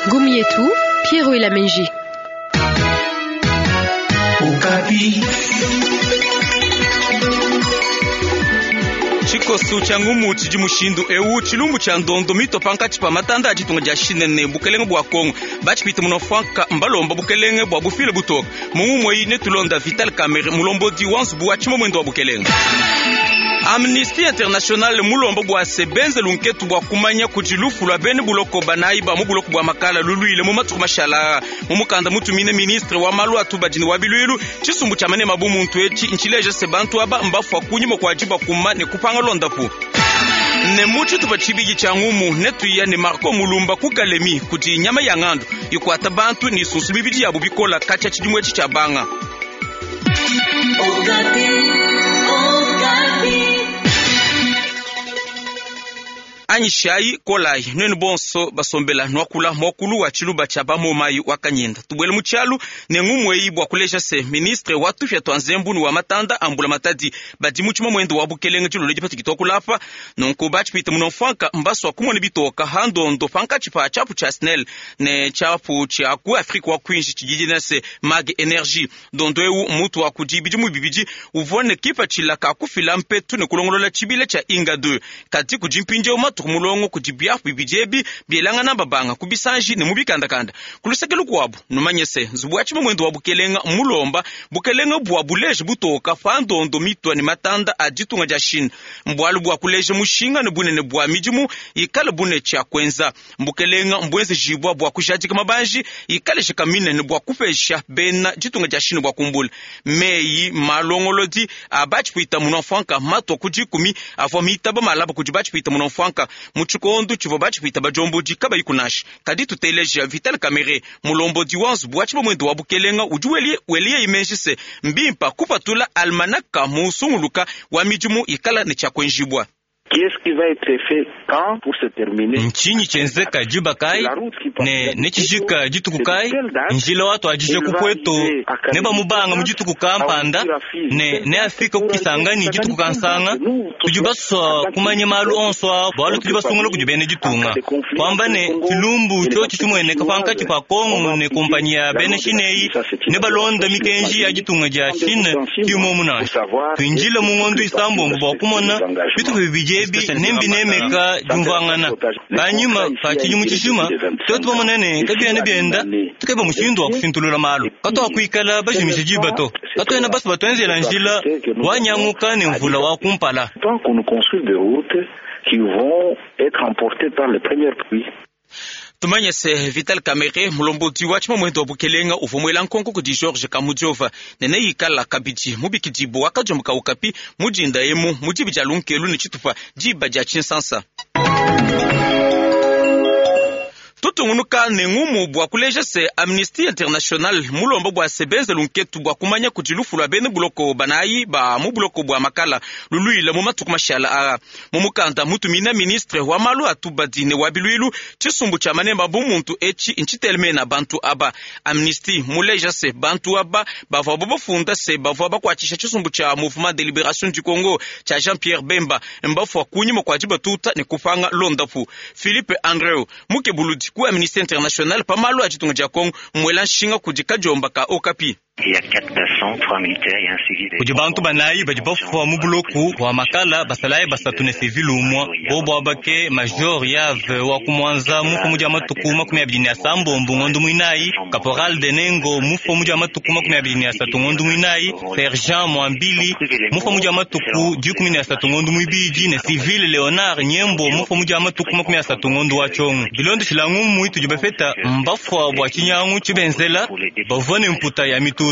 Ngumu yetu Pierrot Elamenji. Tshikosu tshia ngumu tshidi mushindu eu tshilumbu tshia ndondo mito pankatshi pa matanda a ditunga dia Chine ne bukelenge bua Kongo batshipite muno franka mbalomba bukelenge bua bufile butoka mu ngumu eyi netulonda Vital Kamerhe mulombodi wa nzubu wa tshimomwendo wa bukelenge. Amnesty International mulomba bua se benze lunketu bua kumanya kudi lufu lua bene buloko banayi ba mu buloko bua Makala luluile mu matuku mashala. Mu mukanda mutumine ministre wa malu a tubadi ne wa biluilu, tshisumbu tshia manema bu muntu etshi ntshileja se bantu aba mbafua kunyima kua dibakuma ne kupanga londapu. Ne mu tshitupa tshibidi tshia ngumu netuya ne Marco Mulumba ku Kalemi kudi nyama ya ngandu ikuata bantu ne isunsu mibidi yabu bikola katshia tshidimu etshi tshia banga. Anyishayi kolayi nuenu bonso basombela nuakula muakulu wa tshiluba tshia bamomayi wa Kanyinda. Tubuele mu tshialu ne ngumu eyi bua kuleja se ministre wa tupia tua nzembu ne wa matanda a mbula matadi badi mu tshimamwendo wa bukelenge dilolo dipatiki tuakula apa. Nunku batshipite muno mfuanka mbasua kumona bitoka ha ndondo pankatshi pa tshiapu tshia SNEL ne tshiapu tshia ku Afrika wa kuinshi tshididi ne se Mag Energy. Ndondo eu mutu wa kudi bidimu bibidi uvua ne kipatshila ka kufila mpetu ne kulongolola tshibila tshia Inga 2. Kadi kudi mpindieu matuku mulongo kudi biapu bibidi ebi bielangana babanga ku bisanji ne mu bikandakanda. Ku luseke lukuabu numanye se nzubu wa tshimamwendo wa bukelenga mulomba bukelenga bua buleje butoka pa ndondo mitua ne matanda a ditunga dia Chine. Mbualu bua kuleja mushinga ne bunene bua midimu ikale bune tshia kuenza. Mbukelenga mbuenzejibua bua kujadika mabanji ikale shikamine ne bua kupesha bena ditunga dia Chine bua kumbula. Meyi malongolodi a batshipwita muno mfuanka matua ku dikumi avua mitaba malaba kudi batshipwita muno mfuanka mu tshikondo tshivua batshipwita badiombodi kabayi kunasha. Kadi tuteleja Vital Kamerhe mulombodi wa nzubu wa tshibamwendo wa bukelenga udi weliye imenji se mbimpa kupatula almanaka musunguluka wa midimu ikala ne tshia kuenjibua. Ntshinyi tshienzeka diba kayi ne netshijika dituku kayi? Njila watuadije ku Pweto ne bamubanga mu dituku kampanda ne neafike ku Kisangani dituku kansanga. Tudi basua kumanya malu onso a bualu tudi basungula kudi bena ditunga. Kuamba ne tshilumbu tshiotshi tshimueneka pankatshi pa Kongo ne kompanyi ya bena Chine eyi ne balonda mikenji ya ditunga dia Chine ki muomu nansha. Tuindile mu ngondo isambombo bua kumona bitupa bibidi ebi nembinemeka diumvuangana. Panyima pa tshidimu tshijima tuetu bamona ne kabiena bienda tukeba mushindu wa kushintulula malu. Katuakuikala bajimisha diba to. Katuena basu batuenzela njila wanyanguka ne mvula wa kumpala. Qui vont être emportés par les premières pluies. Tumanye se Vital Kamerhe mulombodi wa tshimamwendo wa bukelenga uvua muela nkonko kudi George Kamudiova ne neikala kabidi mubikidibu wakadiomboka Okapi mudinda emu mu diba dia lunkelu ne tshitupa diba dia tshinsansa. Tutungunuka ne ngumu bua kuleja se Amnesty International mulomba bua se benze lunketu bua kumanya kudi lufu lua bena buloko banayi ba mu buloko bua Makala luluile mu matuku mashala aa. Mu mukanda mutumina ministre wa malu a tubadi ne wa biluilu tshisumbu tshia manemba bu muntu etshi ntshitelemena bantu aba. Amnesty muleja se bantu aba bavua bafunda se bavua bakuatshisha tshisumbu tshia Mouvement de Libération du Congo tshia Jean-Pierre Bemba mbafua kunyima kua dibatuta ne kupanga londapu. Philippe Andreu mukebuludi ku Amnesty International pa malu a ditunga dia Kongo mwela nshinga kudi kadiomba ka Okapi. Kudi bantu banayi badi bafua mu buloku bua Makala basalayi basatu ne civil umua bobo abake major Yave wa kumwanza mufo mu dia matuku 28 ngondo mwinayi, caporal Denengo mufo mu dia matuku 23 ngondo mwinayi, sergent Mwambili mufo mu dia matuku 13 ngondo mwibidi ne civil Leonard Nyembo mufo mu dia matuku 30 ngondo wa tshongo. Bilondo tshilangu muitu dibafeta mbafua bua tshinyangu tshibenzela bavua ne mputa ya mitutu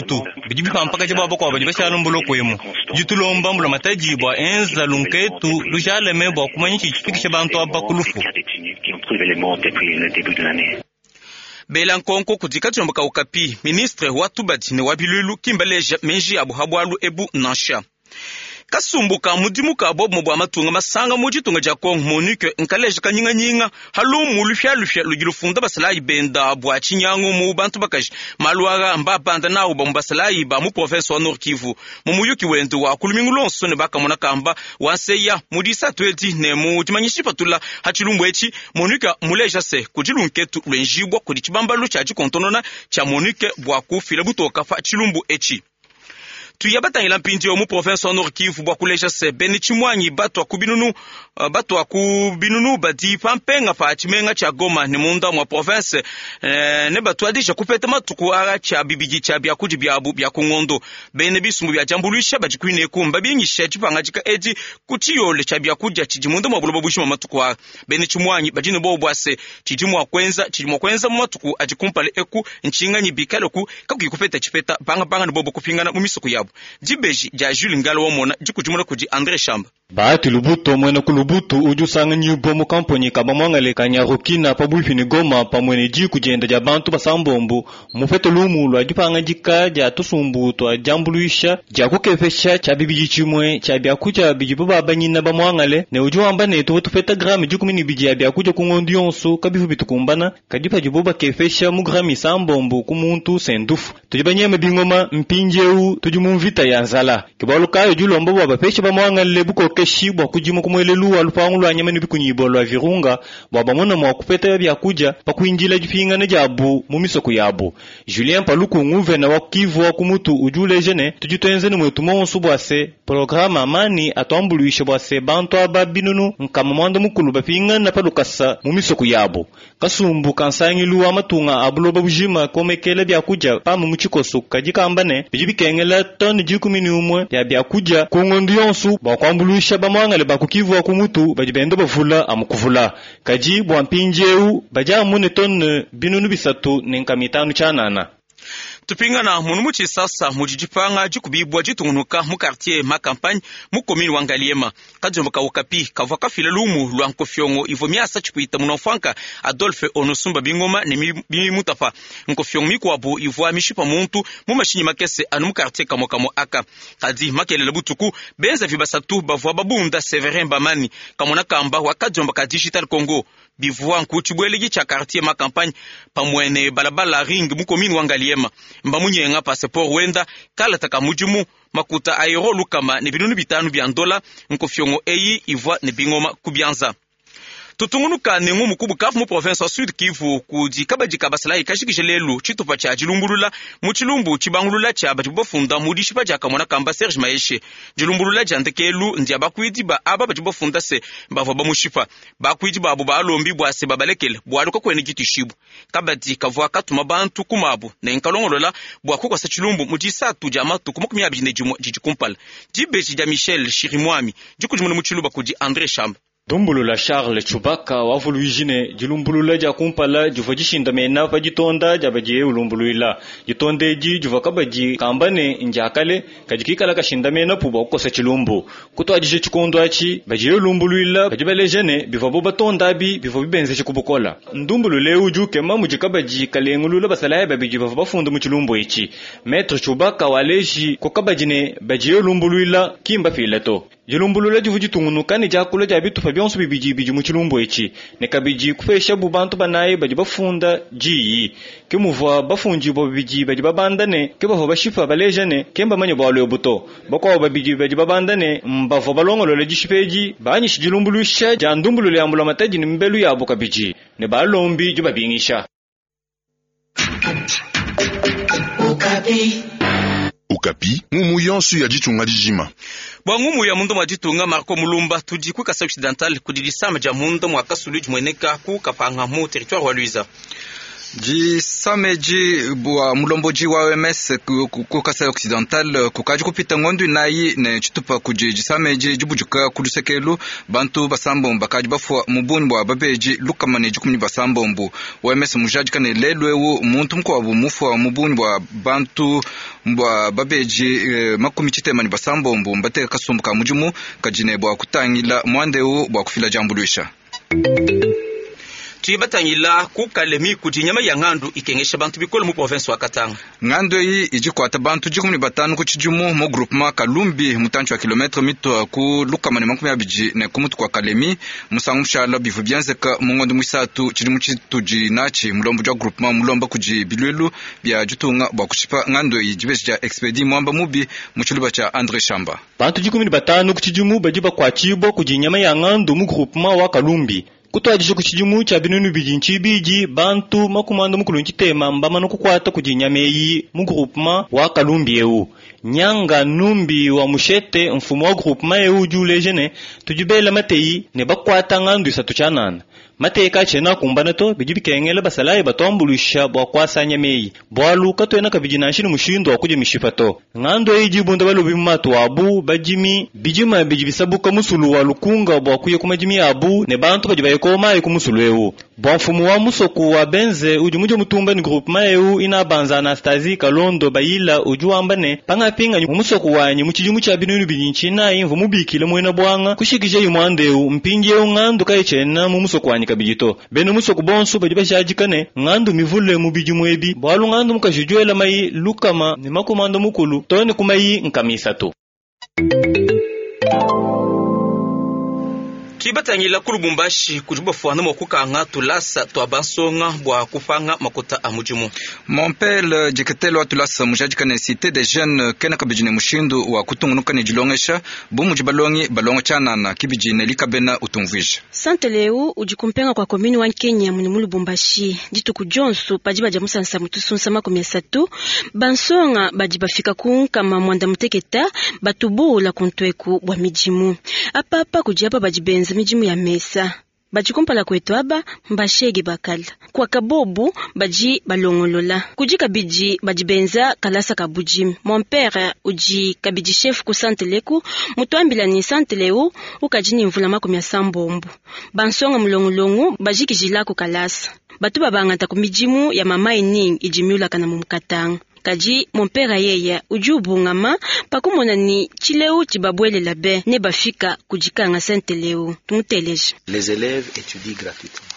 bidi bipampaka tshia bakwa badi bashala mbuloko emu ditulomba mbula matadi bua enza lunketu lujaleme bua kumanya tshifikisha bantu aba ku lufu. Bela nkonko kudi kadiomba ka Okapi ministre wa tubadi ne wa biluilu kimbaleja menji abu ha bualu ebu nansha. Kasumbu ka mudimu ka bobumue bua matunga masanga mu ditunga dia Congo MONUC nkaleja kanyinganyinga ha lumu lupialupia ludi lufunda basalayi benda bua tshinyangu mu bantu bakaji. Malu aa mbabanda nawu bamue basalayi ba mu province wa Nord Kivu mu muyuki wende wa ku lumingu luonso ne bakamona kamba wa nseya mu disatu edi ne mu dimanyisha dipatula ha tshilumbu etshi. MONUC muleja se kudi lunketu luenjibua kudi tshibambalu tshia dikontonona tshia MONUC bua kufila butoka pa tshilumbu etshi. Tuya batangila mpindieu mu province wa Nord Kivu bua kuleja se bene tshimuangi batua ku binunu batua ku binunu badi pa mpenga pa tshimenga tshia Goma ne munda mua province ne batuadija kupeta matuku aa tshia bibidi tshia biakudi biabu bia ku ngondo. Bene bisumbu bia diambuluisha badi kuineku mbabingisha dipangadika edi ku tshiyole tshia biakudia tshidi munda mua buloba bujima matuku aa. Bene tshimuangi badi ne bobu bua se tshidi mua kuenza tshidi mua kuenza mu matuku adi kumpala eku ntshinganyi bikaleku kakuyi kupeta tshipeta bangabanga ne bobu kupingana mu misoko yabu. Dibeji dia Jules Ngala wamona dikudimuna kudi André Shamba. Bahati Lubuto mwena ku Lubutu udi usanganyibwa mu kamponyi ka bamwangale ka Nyarukina pabuipi ne Goma pamwe ne diku dienda dia bantu basambombo mupete lumu lua dipangadika dia tusumbu tua diambuluisha dia kukepesha tshia bibidi tshimue tshia biakudia bidibo babanyina bamwangale ne udi wamba ne tuvua tupeta grame 12 ya biakudia ku ngondo yonso kabivu bitukumbana kadi padibo bakepesha mu grame 6 ku muntu sendufu tudi banyema bingoma mpindieu tudi mu mvita ya nzala kibalu kayo dilomba bua bapeshe bamwangale bukokeshi bua kudima ku muelelu wa lupangu lua nyama ne bikunyibua lua Virunga bua bamona mua kupeta biakudia pa kuindila dipingana diabu mu misoko yabu. Julien Paluku nguvena wa Kivu wa kumutu udi uleja ne tudi tuenze ne mwetu monso bua se programa amani atuambuluishe bua se bantu aba binunu nkama mwanda mukulu bapingana pa lukasa mu misoko yabu. Kasumbu kansangilu wa matunga a buloba bujima komekela biakudia pamwe mu tshikoso kadi kamba ne bidi bikengela tone 11 ya biakudia ku ngondo yonso bua kuambuluisha bamwangale ba ku Kivu wa kumutu badi benda bavula amukuvula kadi bua mpindieu badi amu ne tone 300 ne nkama 5 tshianana. Tupingana munu mu Tshisasa mudi dipanga dikubibua ditungunuka mu quartier ma campagne mu commune wa Ngaliema. Kadiombo ka Okapi kavua kafila lumu lua nkofiongo ivua miasa tshipuita munamfuanka Adolphe Onosumba bingoma ne bimutapa. Nkofiongo mikuabu ivua mishipa muntu mu mashinyi makese anu mu quartier kamwe kamwe aka. Kadi makelela butuku benza vibasatu bavua babunda Severin Bamani kamona kamba wa kadiombo ka Digital Congo. Bivua nku tshibweleki tshia quartier ma campagne pamwene balabala ring mu commune wa Ngaliema. Mbamunyenga passeport wenda kalata ka mudimu makuta a euro lukama ne binunu 5 bya ndola nkofiongo eyi ivua ne bingoma kubianza. Tutungunuka ne ngumu ku Bukavu mu province wa Sud Kivu kudi kabadi ka basalayi kashikishe lelu tshitupa tshia dilumbulula mu tshilumbu tshibangulula tshia badi bafunda mu dishipa dia kamona kamba Serge Maeshe. Dilumbulula dia ndekelu ndia bakuidi ba aba badi bafunda se bavua bamushipa bakuidi babo balombi bua se babalekele bualu kakuena ditushibu. Kabadi kavua katuma bantu kumabu ne nkalongolola bua kukosa tshilumbu mu disatu dia matuku 21 didi kumpala. Dibeji dia Michel Chirimwami dikudimuna mu tshiluba kudi André Shamba. Dumbulula Charles Chubaka wavuluijine dilumbulula dia kumpala divua dishinda mena pa ditonda dia badiye ulumbuluila. Ditonda edi divua kabadi kamba ne ndiakale kadi kikala kashinda mena pu bua kukosa tshilumbu. Kutuadije tshikondo atshi badiye ulumbuluila badi baleja ne bivua bo batonda abi bivua bibenzeshe ku bukola. Ndumbulula eu udi ukema mudi kabadi kalengulula basalayi babidi bavua bafunda mu tshilumbu etshi. Maître Chubaka waleji ko kabadi ne badiye ulumbuluila kimba pila to. Dilumbulula divua ditungunuka ne diakula dia bitupa bionso bibidi bidi mu tshilumbu etshi ne kabidi kupesha bu bantu banayi badi bafunda diyi. Ke muvua bafundibua babidi badi babanda ne ke bavua bashipa baleja ne ke mbamanye bualu ebu to. Bakuabu babidi badi babanda ne mbavua balongolola dishipa edi banyisha dilumbuluisha dia ndumbulula ya mbulamatadi ne mibelu yabu kabidi ne balombi dibabingisha. Okapi, ngumu yonso ya ditunga dijima. Bwa ngumu ya mundu mwa ditunga Marco Mulumba tudi ku Kasai Occidental kudi disama dia mundu mwa kasulu dimueneka ku Kapanga mu territoire wa Luiza. Disameji bua mulomboji wa OMS ku Kasai Occidental kukaji kupita ngondu inayi ne tshitupa kudi disameji dibujuka ku lusekelu bantu basambombo bakadi bafua mu bungi bua babeji lukama ne dikumi basambombo. OMS mujadika ne lelu eu muntu mukuabu mufua mu bungi bua bantu bua babeji 60 ne basambombo mbateka kasumbu ka mudimu kadi ne bua kutangila mwande eu bua kufila diambuluisha. Tudi batangila ku Kalemi kudi nyama ya ngandu ikengesha bantu bikole mu province wa Katanga. Ngandu eyi idi ikuata bantu 15 ku tshidimu mu groupement Kalumbi, mutantshi wa kilometre mitua ku 120 ne ku mutu kua Kalemi. Musangu mushala bivua bienzeka mu ngondo muisatu tshidimu tshitudi natshi. Mulombodi wa groupement mulomba kudi biluilu bia ditunga bua kushipa ngandu eyi. Dibeji dia Expedi Mwamba Mubi mu tshiluba tshia Andre Shamba. Bantu 15 ku tshidimu badi bakuatshibua kudi nyama ya ngandu mu groupement wa Kalumbi. Kutuadija ku tshidimu tshia 2002, bantu 63 mbamane kukuata kudi nyama eyi mu groupement wa Kalumbi eu. Nyanga Numbi wa Mushete, mfumu wa groupement eu, udi uleja ne, tudi bela mateyi ne bakuata ngandu 3 tshianana. Mateyi kaatshiena akumbana to, bidi bikengela basalayi batuambuluisha bua kuasa nyama eyi, bualu katuena kabidi nansha ne mushindu wa kudia mishipa to. Ngandu eyi idi ibunda balobi mu matu abu, badimi, bidima bidi bisabuka musulu wa Lukunga bua kuya ku madimi abu, ne bantu badi baye kuowa mayi ku musulu eu. Bua mfumu wa musoko wa Benze udi mudia mutumba ne groupement eu Inabanza Anastasie Kalondo Bayila udi wamba ne, pangapinganyi mu musoko wanyi mu tshidimu tshia 2004 mvua mubikile muena buanga kushikijayi muanda eu. Mpindieu ngandu kayitshiena mu musoko wanyi kabidi to. Bena musoko bonso badi bajadika ne ngandu mivule mu bidimu ebi, bualu ngandu mukaji udi wela mayi 150 too ne ku mayi 300. Tudi batangila ku Lubumbashi kudi bafuana mua kukanga tulasa tua bansonga bua kupanga makuta a mudimu. Mompele diketelo wa tulasa mujadika ne Cité des Jeunes kena kabidi ne mushindu wa kutungunuka ne dilongesha bu mudi balongi balonga tshianana kibidi ne likabena utumvuija. Santele eu udi kumpenga kwa commune wa Nkenya muni mu Lubumbashi. Dituku dionso padi badia musansa mutusunsa 30 bansonga badi bafika ku 96 batubula kuntweku bua midimu. Apapa kudi aba badi benza midimu ya mesa. Badi kumpala kwetu aba mbashege bakala. Kwa kabobu badi balongolola. Kudi kabidi badi benza kalasa ka budimi. Mon père udi kabidi chef ku santeleku mutuambila ni santeleu ukadi ni mvula 80. Bansonga mulongolongo bajikijila ku kalasa. Batu babangata ku midimu ya mama ining idimiula kana mumukatanga. Kadi mon père yeye udi ubungama pakumona ni tshileu tshibabwelela be ne bafika kudikanga santeleu tumuteleje. Les élèves étudient gratuitement.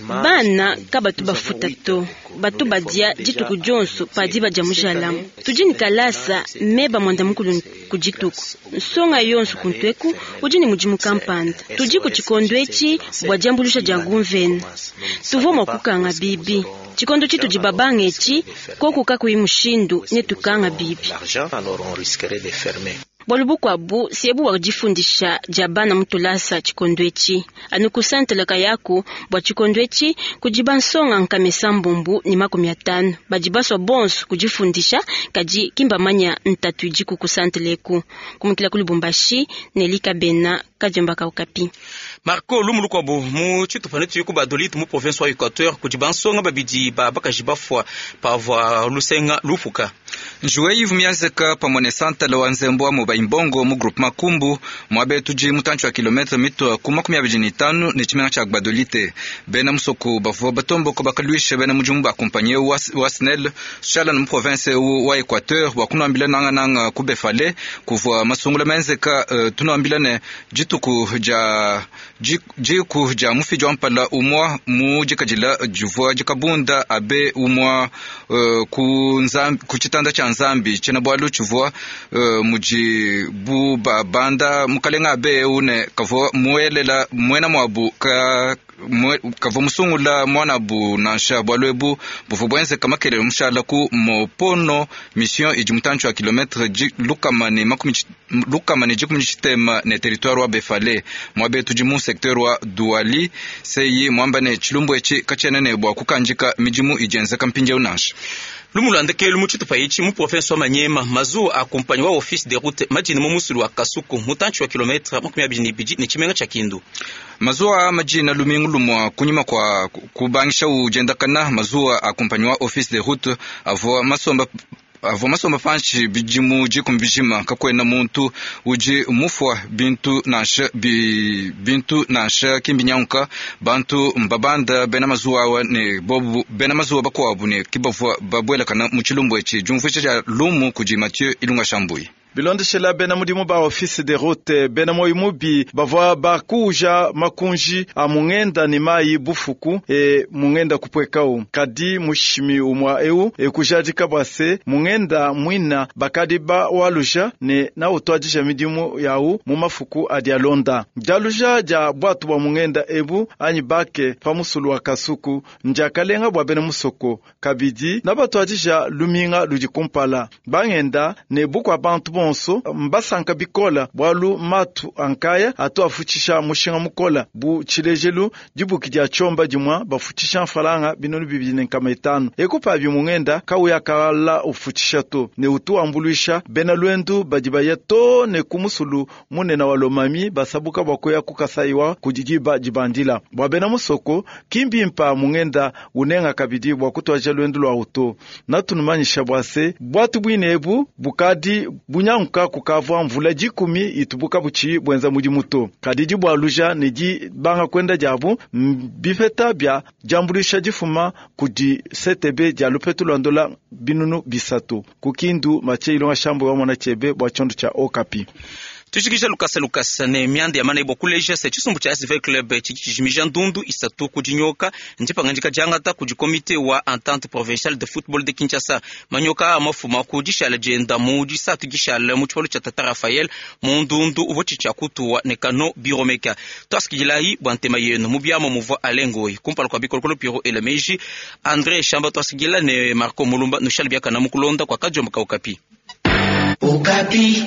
Bana kabatu bafuta to batu badia dituku dionso padi badia mujalamu tudi ni kalasa meba mwanda mukulu ku dituku nsonga yonso kuntweku udi ni mudimu kampanda tudi ku tshikondo etshi bua diambulusha dia gumvena tuvua mua kukanga bibi tshikondo tshitudi babanga etshi koku kakuyi mushindu ne tukanga bibi. Bualu bukuabu siebu bua difundisha dia bana mutulasa tshikondo etshi anu kusantela kayaku bua tshikondo etshi kudi bansonga nkamesa mbumbu ni 50 badi baswa bonso kudifundisha kadi kimbamanya ntatu idiku kusanteleku kumukila ku Lubumbashi ne likabena kadiomba kaukapi. Marco lumulukwabo mu tshitupa netu ku Badolite mu province wa Equateur kudi bansonga babidi ba bakaji bafwa pavua lusenga lupuka. Njuwe ivu miazeka pamwe ne santale wa nzembo wa mu Baimbongo mu groupement Kumbu mwabe tudi mutantshi wa kilometre mitwa ku 25 ne tshimenga tshia Gbadolite. Bena musoko bavua batomboko bakaluisha bena mudimu ba compagnie wa SNEL shala mu province wa Equateur bua kunuambila nanga nanga ku Befale kuvua masungula menzeka tunuambila ne dituku dia jiku dia mufidi wa mpala umwa mu dikadila divua dikabunda abe umwa ku nzambi ku tshitanda tshia nzambi tshena bualu tshivua mudi bu babanda mukalenga abe une kavua muelela muena mwabu ka kavua musungula mwanabu nansha bualu ebu buvua buenzeka makelele mushala ku mopono mission idi mutantshi wa kilometre lukama ne 10 tshitema ne territoire wa Befale mwabe tudi mu secteur wa Douali seyi mwamba ne tshilumbu etshi katshiena ne bua kukandika midimu idienzeka mpindieu nansha. Lumulanda kelu mu tshitupa etshi mu province wa Maniema mazuwa akumpanyi wa office de route madina mu musulu wa Kasuku mutantshi wa kilometre 22 ne tshimenga tshia Kindu. Mazuwa madina lumingu lumwa kunyima kwa kubangisha ujendakana mazuwa akumpanyi wa office de route avua masomba panshi bidimu dikumi bijima kakwena muntu udi mufwa bintu nansha bintu nansha kimbinyanka bantu mbabanda bena mazuwa awa ne bobu bena mazuwa bakuabu ne kibavua babwelakana mu tshilumbu etshi diumvuija dia lumu kudi Mathieu Ilunga Shambui. Bilondeshela bena mudimu ba Office de Route, bena moyo mubi bavua bakuuja makunji a mungenda ne mayi bufuku e mungenda kupwekau. Kadi mushimi umwa eu e kujadika bua se mungenda mwina bakadi ba waluja ne na utwadija midimu yau mu mafuku adi alonda. Dialuja dia bwatu bwa mungenda ebu anyi bake pa musulu wa Kasuku ndiakalenga bua bena musoko kabidi na batwadija luminga ludi kumpala bangenda ne bukwa bantu bonso mbasanka bikola bwalu matu ankaya atu afutshisha mushinga mukola bu tshilejelu dibuki dia tshomba dimwa bafutshisha mfalanga binunu 2500 ekupa mungenda kauya kala ufutshisha to ne utu ambuluisha bena lwendu badi baya to ne kumusulu munene wa Lomami basabuka bwakoya kukasaiwa kudidiba dibandila bwa bena musoko kimbimpa mungenda unenga kabidi bwa kutwaja lwendu lwa uto natunumanyisha bwase bwatu bwine ebu bukadi bunyanguka kukavwa mvula 10 itubuka buchi bwenza mudi muto kadidi bwa luja ne di banga kwenda jabu bifeta bya jambulisha difuma kudi CTB dia lupetu lwa ndola 300 kukindu mache ilonga shambo wa mwana chebe bwa chondo cha Okapi. Tushikisha lukasa lukasa ne myanda ya mana ibokuleja se chisumbu cha SV Club chichijimija ndundu isatu kudinyoka ndipangandika jangata kudi komite wa Entente Provinciale de Football de Kinshasa manyoka amafuma kudishala jenda mu disatu gishala mu tshipalo cha Tata Raphael mu ndundu uvo chichakutuwa ne kano biromeka twasikililayi bwa ntema yenu mu byamo muvwa alengoi kumpala kwa bikolokolo Piro Elemeji André Shamba twasikila ne Marco Mulumba nushali byakana mukulonda kwa kajomba ka Okapi. Okapi.